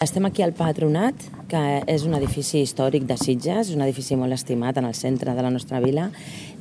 Estem aquí al Patronat, que és un edifici històric de Sitges, és un edifici molt estimat en el centre de la nostra vila,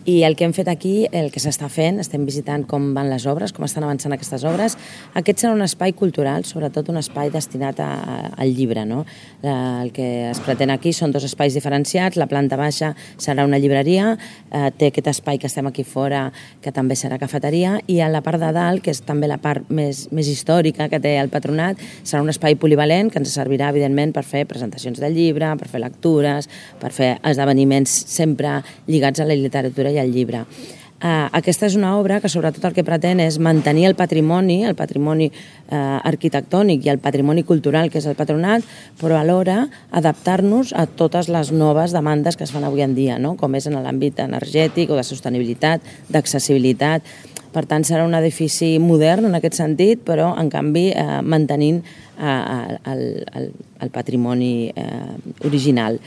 i el que hem fet aquí, el que s'està fent, estem visitant com van les obres, com estan avançant aquestes obres. Aquest serà un espai cultural, sobretot un espai destinat al llibre, no? El que es pretén aquí són dos espais diferenciats, la planta baixa serà una llibreria, té aquest espai que estem aquí fora, que també serà cafeteria, i a la part de dalt, que és també la part més històrica que té el Patronat, serà un espai polivalent que ens servirà, evidentment, per fer presentacions del llibre, per fer lectures, per fer esdeveniments sempre lligats a la literatura i al llibre. Aquesta és una obra que sobretot el que pretén és mantenir el patrimoni arquitectònic i el patrimoni cultural que és el Patronat, però alhora adaptar-nos a totes les noves demandes que es fan avui en dia, no? Com és en l'àmbit energètic o de sostenibilitat, d'accessibilitat. Per tant, serà un edifici modern en aquest sentit, però en canvi mantenint el patrimoni original.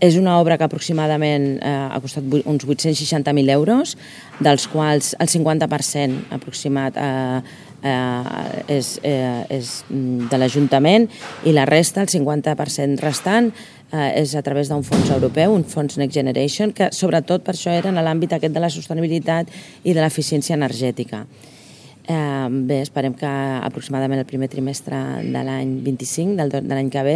És una obra que aproximadament ha costat uns 860.000 euros, dels quals el 50% aproximat és de l'Ajuntament i la resta, el 50% restant, és a través d'un fons europeu, un fons Next Generation, que sobretot per això era en l'àmbit aquest de la sostenibilitat i de l'eficiència energètica. Bé, esperem que aproximadament el primer trimestre de l'any 25, de l'any que ve,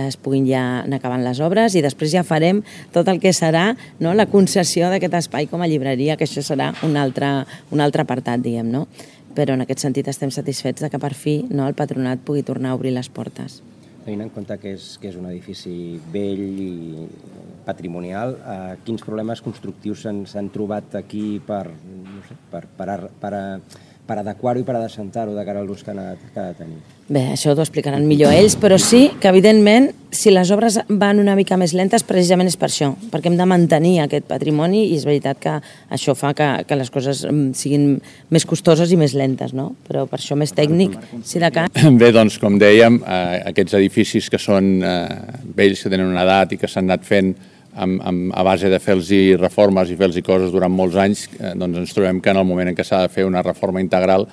es puguin ja anar acabant les obres i després ja farem tot el que serà la concessió d'aquest espai com a llibreria, que això serà un altre apartat, diguem, no? Però en aquest sentit estem satisfets que per fi el Patronat pugui tornar a obrir les portes. Tenint en compte que és un edifici vell i patrimonial, quins problemes constructius s'han trobat aquí per adequar-ho i per adassentar-ho de cara a l'ús que ha de tenir? Bé, això t'ho explicaran millor ells, però sí que, evidentment, si les obres van una mica més lentes, precisament és per això, perquè hem de mantenir aquest patrimoni i és veritat que això fa que les coses siguin més costoses i més lentes, no? Però per això més tècnic, si de cas... Bé, doncs, com dèiem, aquests edificis que són vells, que tenen una edat i que s'han anat fent a base de fer-los reformes i fer-los coses durant molts anys, doncs ens trobem que en el moment en què s'ha de fer una reforma integral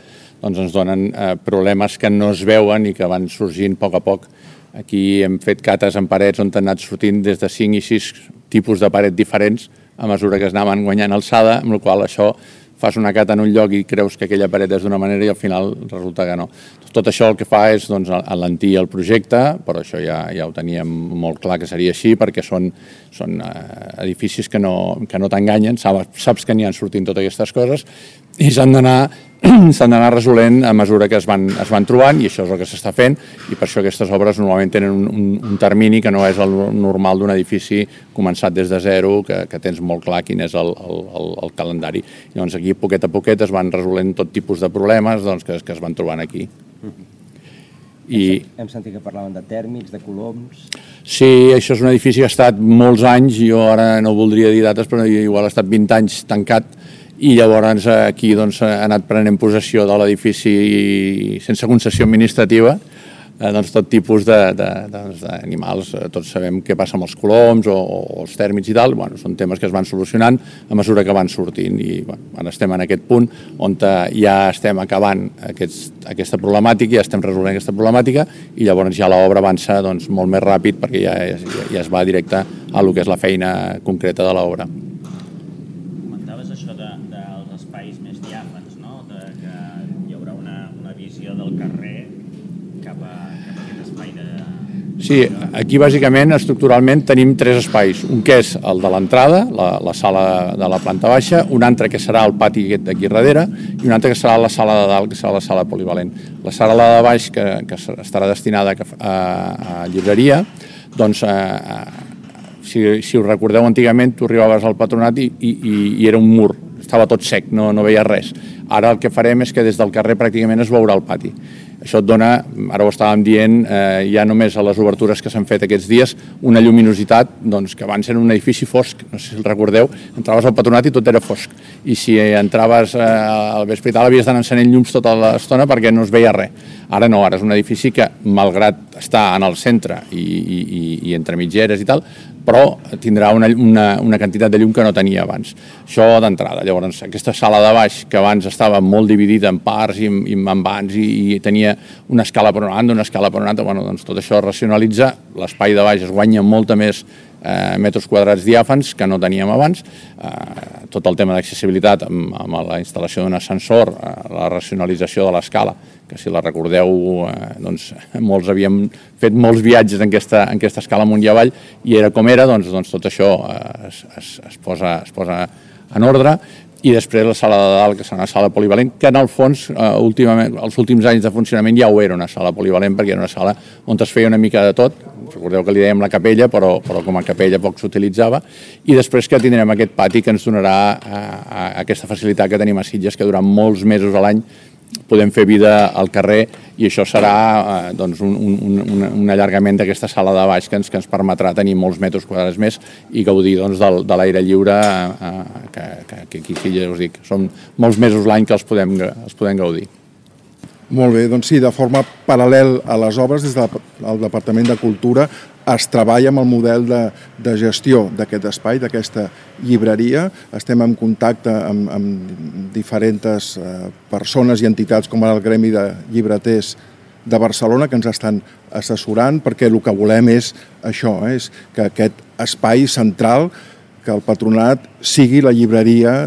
doncs ens donen problemes que no es veuen i que van sorgint a poc. Aquí hem fet cates en parets on han anat sortint des de 5 i 6 tipus de paret diferents a mesura que es anaven guanyant alçada, amb la qual això fas una cata en un lloc i creus que aquella paret és d'una manera i al final resulta que no. Tot això el que fa és alentir el projecte, però això ja ho teníem molt clar que seria així perquè són edificis que no t'enganyen, saps que n'hi han sortint totes aquestes coses i s'han d'anar resolent a mesura que es van trobant i això és el que s'està fent i per això aquestes obres normalment tenen un termini que no és el normal d'un edifici començat des de zero, que tens molt clar quin és el calendari. Llavors aquí poquet a poquet es van resolent tot tipus de problemes que es van trobant aquí. Hem sentit que parlaven de tèrmics, de coloms... Sí, això és un edifici que ha estat molts anys, jo ara no voldria dir dates, però igual ha estat 20 anys tancat i llavors aquí ha anat prenent possessió de l'edifici sense concessió administrativa, tot tipus d'animals. Tots sabem què passa amb els coloms o els tèrmits i tal, són temes que es van solucionant a mesura que van sortint i ara estem en aquest punt on ja estem acabant aquesta problemàtica, ja estem resolent aquesta problemàtica i llavors ja l'obra avança molt més ràpid perquè ja es va directe a lo que és la feina concreta de l'obra. Comentaves això dels espais més diàfans, no? Que hi haurà una visió del carrer cap a aquest espai de... Sí, aquí bàsicament, estructuralment, tenim 3 espais. Un que és el de l'entrada, la sala de la planta baixa, un altre que serà el pati d'aquí darrere i un altre que serà la sala de dalt, que serà la sala polivalent. La sala de baix, que estarà destinada a llibreria, doncs, si us recordeu, antigament tu arribaves al Patronat i era un mur, estava tot sec, no veies res. Ara el que farem és que des del carrer pràcticament es veurà el pati. Això et dona, ara ho estàvem dient, ja només a les obertures que s'han fet aquests dies, una lluminositat que abans era un edifici fosc, no sé si el recordeu, entraves al Patronat i tot era fosc. I si entraves al vespre i tal havies d'anar encenent llums tota l'estona perquè no es veia res. Ara no, ara és un edifici que, malgrat estar en el centre i entre mitgeres i tal, però tindrà una quantitat de llum que no tenia abans. Això d'entrada. Llavors, aquesta sala de baix, que abans estava molt dividida en parts i en vans i tenia una escala per una banda, una escala per una altra, bueno, doncs tot això es racionalitza, l'espai de baix es guanya molta més metres quadrats diàfans que no teníem abans. Tot el tema d'accessibilitat amb la instal·lació d'un ascensor, la racionalització de l'escala, que si la recordeu, doncs molts havíem fet molts viatges en aquesta escala amunt i avall i era com era, doncs tot això es posa en ordre. I després la sala de dalt, que serà una sala polivalent, que en el fons, últimament, els últims anys de funcionament ja ho era una sala polivalent, perquè era una sala on es feia una mica de tot. Recordeu que li dèiem la capella, però com a capella poc s'utilitzava. I després que tindrem aquest pati que ens donarà aquesta facilitat que tenim a Sitges, que durant molts mesos a l'any podem fer vida al carrer i això serà un allargament d'aquesta sala de baix que ens permetrà tenir molts metres quadrats més i gaudir de l'aire lliure que aquí ja us dic, són molts mesos l'any que els podem gaudir. Molt bé, doncs sí, de forma paral·lel a les obres, des del Departament de Cultura es treballa amb el model de gestió d'aquest espai, d'aquesta llibreria. Estem en contacte amb diferents persones i entitats com el Gremi de Llibreters de Barcelona que ens estan assessorant perquè el que volem és això, és que aquest espai central, que el Patronat sigui la llibreria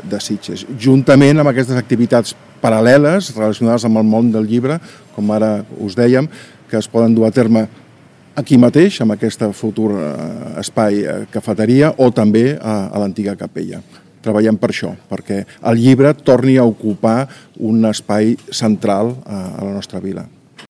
de Sitges, juntament amb aquestes activitats paral·leles relacionades amb el món del llibre, com ara us dèiem, que es poden dur a terme aquí mateix, amb aquest futur espai cafeteria, o també a l'antiga capella. Treballem per això, perquè el llibre torni a ocupar un espai central a la nostra vila.